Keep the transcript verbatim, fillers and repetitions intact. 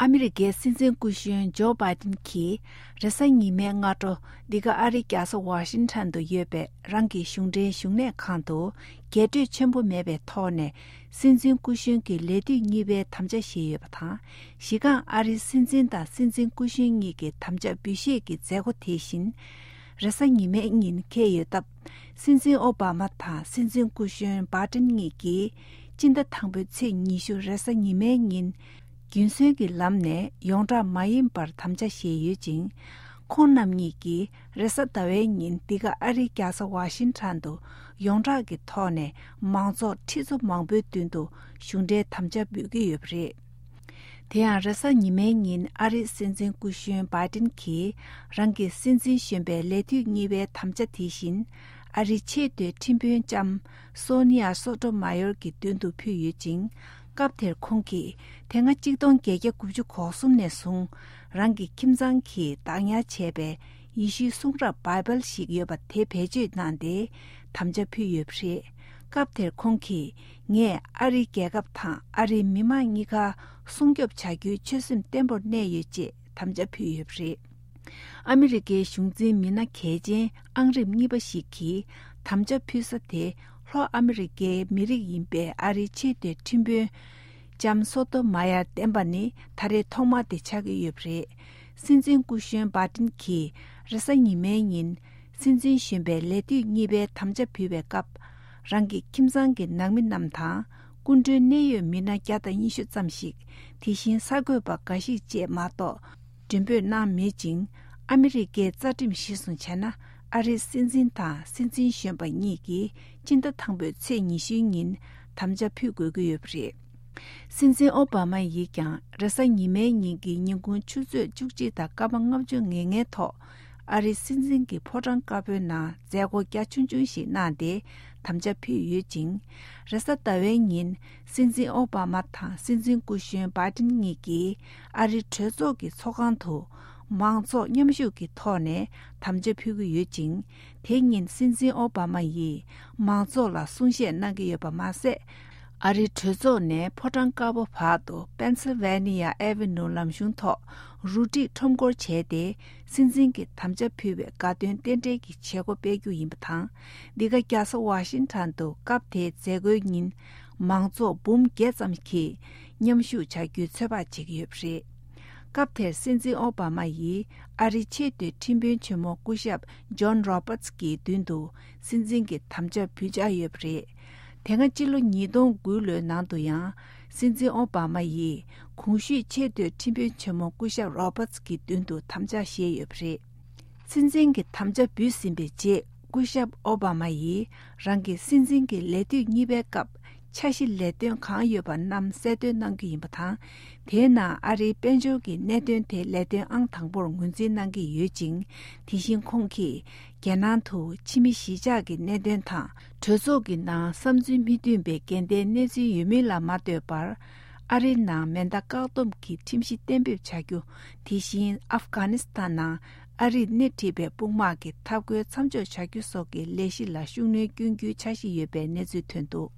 ཨ་མི་རི་ཀའི་སྲིད་འཛིན་སྐུ་གཞོན་ཇོ་བྷའི་ཏིན་གྱིས་རེས་གཟའ་ཉི་མའི་སྔ་དྲོ་འདི་ག་ཨ་རིའི་རྒྱལ་ས་ཝ་ཤིང་ཊོན་དུ་ཡོད་པའི་རང་གི་གཞུང་འབྲེལ་བཞུགས་གནས་ཁང་དུ་རྒྱས་སྤྲོས་ཆེན་པོ་མེད་པའི་ཐོག་ནས་སྲིད་འཛིན་སྐུ་གཞོན་གྱི་ལས་དུས་གཉིས་པའི་དམ་བཅའ་བཞེས་ཡོད་པ་དང་། གཞི་རྐང་ཨ་རིའི་སྲིད་འཛིན་དང་སྲིད་འཛིན་སྐུ་གཞོན་གཉིས་ཀྱི་དམ་བཅའ་འབུལ་བཞེས་ཀྱི་མཛད་སྒོ་དེ་བཞིན། རེས་གཟའ་ཉི་མའི་ཉིན་འཁེལ་ཡོད་སྟབས། སྲིད་འཛིན་ཨོ་བྷ་མ་དང་སྲིད་འཛིན་སྐུ་གཞོན་བྷའི་ཏིན་གཉིས་ཀྱིས་སྤྱི་ཟླ་དང་པོའི་ཚེས་ཉི་ཤུ་རེས་གཟའ་ཉི་མའི་ཉིན། རྒྱུན་སྲོལ་གྱི་ལམ་ནས་ཡོངས་གྲགས་མ་ཡིན་པར་དམ་བཅའ་བཞེས་ཡོད་ཅིང་། ཁོང་རྣམ་གཉིས་ཀྱིས་རེས་གཟའ་ཟླ་བའི་ཉིན་འདི་ག་ཨ་རིའི་རྒྱལ་ས་ཝ་ཤིང་ཊོན་དུ་ཡོངས་གྲགས་ཀྱི་ཐོག་ནས་མང་ཚོགས་ཁྲི་ཚོ་མང་པོའི་མདུན་དུ་གཞུང་འབྲེལ་དམ་བཅའ་འབུལ་གྱི་ཡོད་པ་རེད། དེ་ཡང་རེས་གཟའ་ཉི་མའི་ཉིན་ཨ་རིའི་སྲིད་འཛིན་སྐུ་གཞོན་བྷའི་ཏིན་གྱིས་རང་གི་སྲིད་འཛིན་གཞོན་པའི་ལས་དུས་གཉིས་པའི་དམ་བཅའ་དེ་བཞིན། ཨ་རིའི་ཆེས་མཐོའི་ཁྲིམས་དཔོན་ལྕམ་སོ་ནི་ཡ་སོ་ཏོ་མ་ཡོར་གྱི་མདུན་དུ་ཕུལ་ཡོད་ཅིང་། སྐབས་དེར་ཁོང་གིས་དེ་སྔ་གཅིག་སྟོང་བརྒྱད་བརྒྱ་དགུ་བཅུ་གོ་གསུམ་ནས་བཟུང་རང་གི་ཁྱིམ་ཚང་གིས་བདག་ཉར་བྱས་པའི་ཡེ་ཤུའི་གསུང་རབ་བྷའི་བལ་ཞིག་ཡོད་པ་དེ་བེད་སྤྱོད་གནང་སྟེ་དམ་བཅའ་ཕུལ་ཡོད་པ་རེད། སྐབས་དེར་ཁོང་གིས། ངས་ཨ་རིའི་རྒྱལ་ཁབ་དང་ཨ་རིའི་མི་དམངས་གཉིས་ཀ་སྲུང་སྐྱོབ་བྱ་རྒྱུའི་ཆོད་སེམས་བརྟན་པོར་གནས་ཡོད་ཅེས་དམ་བཅའ་ཕུལ་ཡོད་པ་རེད། ཨ་མི་རི་ཀའི་གཞུང་འཛིན་མི་སྣ་གལ་ཆེན་ཨང་རིམ་གཉིས་པ་ཞིག་གིས་དམ་བཅའ་ཕུལ་ས་དེ་ལྷོ་ཨ་མི་རི་ཀའི་མི་རིགས་ཡིན་པའི་ཨ་རིའི་ཆེས་མཐོའི་ཁྲིམས་དཔོན་ལྕམ་སོ་ཏོ་མ་ཡར་བསྟན་པ་ནི་ད་རེས་ཐོག་མ་དེ་ཆགས་ཀྱི་ཡོད་པ་རེད། སྲིད་འཛིན་སྐུ་གཞོན་བྷའི་ཏིན་གྱིས་རེས་གཟའ་ཉི་མའི་ཉིན། སྲིད་འཛིན་གཞོན་པའི་ལས་དུས་གཉིས་པའི་དམ་བཅའ་ཕུལ་བའི་སྐབས། རང་གི་ཁྱིམ་ཚང་གི་ནང་མི་རྣམས་དང་། སྐུ་མགྲོན་གནད་ཡོད་མི་སྣ་བརྒྱ་དང་ཉི་ཤུ་ཙམ་ཞིག་དེ་བཞིན་གསར་འགོད་པ་འགའ་ཞིག་བཅས་མ་གཏོགས། མགྲོན་འབོད་གནང་མེད་ཅིང་། ཨ་མི་རི་ཀའི་རྩ་ཁྲིམས་གཞིར་བཟུང་བྱས་ན། ཨ་རིའི་སྲིད་འཛིན་དང་སྲིད་འཛིན་གཞོན་པ་གཉིས་ཀྱིས་སྤྱི་ཟླ་དང་པོའི་ཚེས་ཉི་ཤུའི་ཉིན་དམ་བཅའ་ཕུལ་དགོས་ཀྱི་ཡོད་པ་རེད། སྲིད་འཛིན་ཨོ་བྷ་མ་ཡིས་ཀྱང་རེས་གཟའ་ཉི་མའི་ཉིན་གྱི་ཉིན་གུང་ཆུ་ཚོད་བཅུ་གཅིག་དང་སྐར་མ་ལྔ་བཅུ་ང་ལྔའི་ཐོག་ཨ་རིའི་སྲིད་འཛིན་གྱི་ཕོ་བྲང་དཀར་པོའི་ནང་མཛད་སྒོ་རྒྱ་ཆུང་ཆུང་ཞིག་གནང་སྟེ་དམ་བཅའ་ཕུལ་ཡོད་ཅིང་། རེས་གཟའ་ཟླ་བའི་ཉིན་སྲིད་འཛིན་ཨོ་བྷ་མ་དང་སྲིད་འཛིན་སྐུ་གཞོན་བྷའི་ཏིན་གཉིས་ཀྱིས་ཨ་རིའི་གྲོས་ཚོགས་ཀྱི་ཚོགས་ཁང་དུ་མང་ཚོགས་མཉམ་ཞུགས་ཀྱི་ཐོག་ནས་དམ་བཅའ་ཕུལ་གྱི་ཡོད་ཅིང་། དེ་ཉིན་སྲིད་འཛིན་ཨོ་བྷ་མ་ཡིས་མང་ཚོགས་ལ་གསུང་བཤད་གནང་གི་ཡོད་པ་མ་ཟད། ཨ་རིའི་གྲོས་ཚོགས་ནས་ཕོ་བྲང་དཀར་པོ་བར་དུ་པེན་སིལ་ཝེ་ནི་ཡ་ཨེ་ཝེ་ནུ་ལམ་གཞུང་ཐོག་རུ་སྒྲིག་ཁྲོམ་སྐོར་བྱས་ཏེ། སྲིད་འཛིན་གྱི་དམ་བཅའ་ཕུལ་བའི་དགའ་སྟོན་རྟེན་འབྲེལ་གྱི་བྱེད་སྒོ་སྤེལ་རྒྱུ་ཡིན་པ་དང་། འདི་ག་རྒྱལ་ས་ཝ་ཤིང་ཊོན་དུ་སྐབས་དེའི་མཛད་སྒོའི་ཉིན། མང་ཚོགས་འབུམ་བརྒྱད་ཙམ་གྱིས་མཉམ་ཞུགས་བྱ་རྒྱུའི་ཚོད་དཔག་བྱེད་ཀྱི་ཡོད་པ་རེད། སྐབས་དེར་སྲིད་འཛིན་ཨོ་བྷ་མ་ཡིས་ཨ་རིའི་ཆེས་མཐོའི་ཁྲིམས་དཔོན་ཆེན་མོ་སྐུ་ཞབས་ཇོན་རོ་བྷར་ཊི་ཀྱི་མདུན་དུ་སྲིད་འཛིན་གྱི་དམ་བཅའ་ཕུལ་འཆར་ཡོད་པ་རེད། དེ་སྔ་ཕྱི་ལོ་ཉིས་སྟོང་དགུ་ལོའི་ནང་དུ་ཡང་། སྲིད་འཛིན་ཨོ་བྷ་མ་ཡིས་གོང་ཞུས་ཆེས་མཐོའི་ཁྲིམས་དཔོན་ཆེན་མོ་སྐུ་ཞབས་རོ་བྷར་ཊི་ཀྱི་མདུན་དུ་དམ་བཅའ་བཞེས་ཡོད་པ་རེད། སྲིད་འཛིན་གྱི་དམ་བཅའ་འབུལ་ཟིན་པའི་རྗེས། སྐུ་ཞབས་ཨོ་བྷ་མ་ཡིས་རང་གི་སྲིད་འཛིན་གྱི་ལས་དུས་གཉིས་པའི་སྐབས། འཆར་གཞི་ལས་དོན་གང་ཡོད་པ་རྣམས་གསལ་སྟོན་གནང་རྒྱུ་ཡིན་པ་དང་། དེའི་ནང་ཨ་རིའི་དཔལ་འབྱོར་གྱི་གནད་དོན་དེ་ལས་དོན་ཨང་དང་པོར་ངོས་འཛིན་གནང་གི་ཡོད་ཅིང་། དེ་བཞིན་ཁོང་གིས་རྒྱལ་ནང་དུ་ཕྱི་མི་གཞིས་ཆགས་ཀྱི་གནད་དོན་དང་། གྲོས་ཚོགས་ཀྱི་ནང་བསམ་ཚུལ་མི་མཐུན་པའི་འགལ་ཟླའི་གནས་ཚུལ་ཡོད་མིན་ལ་མ་ལྟོས་པར། ཨ་རིའི་ནང་མེ་མདའ་བཀག་སྡོམ་གྱི་ཁྲིམས་གཞི་གཏན་འབེབས་བྱ་རྒྱུ། དེ་བཞིན་ཨབ་གྷ་ནི་སི་ཐན་ནང་ཨ་རིས་སྣེ་ཁྲིད་པའི་དཔུང་དམག་གི་འཐབ་རྒོལ་མཚམས་འཇོག་བྱ་རྒྱུ་སོགས་ཀྱི་ལས་གཞི་ལ་ཤུགས་སྣོན་སྐྱོན་རྒྱུའི་འཆར་གཞི་ཡོད་པའི་གནས་ཚུལ་ཐོན་འདུག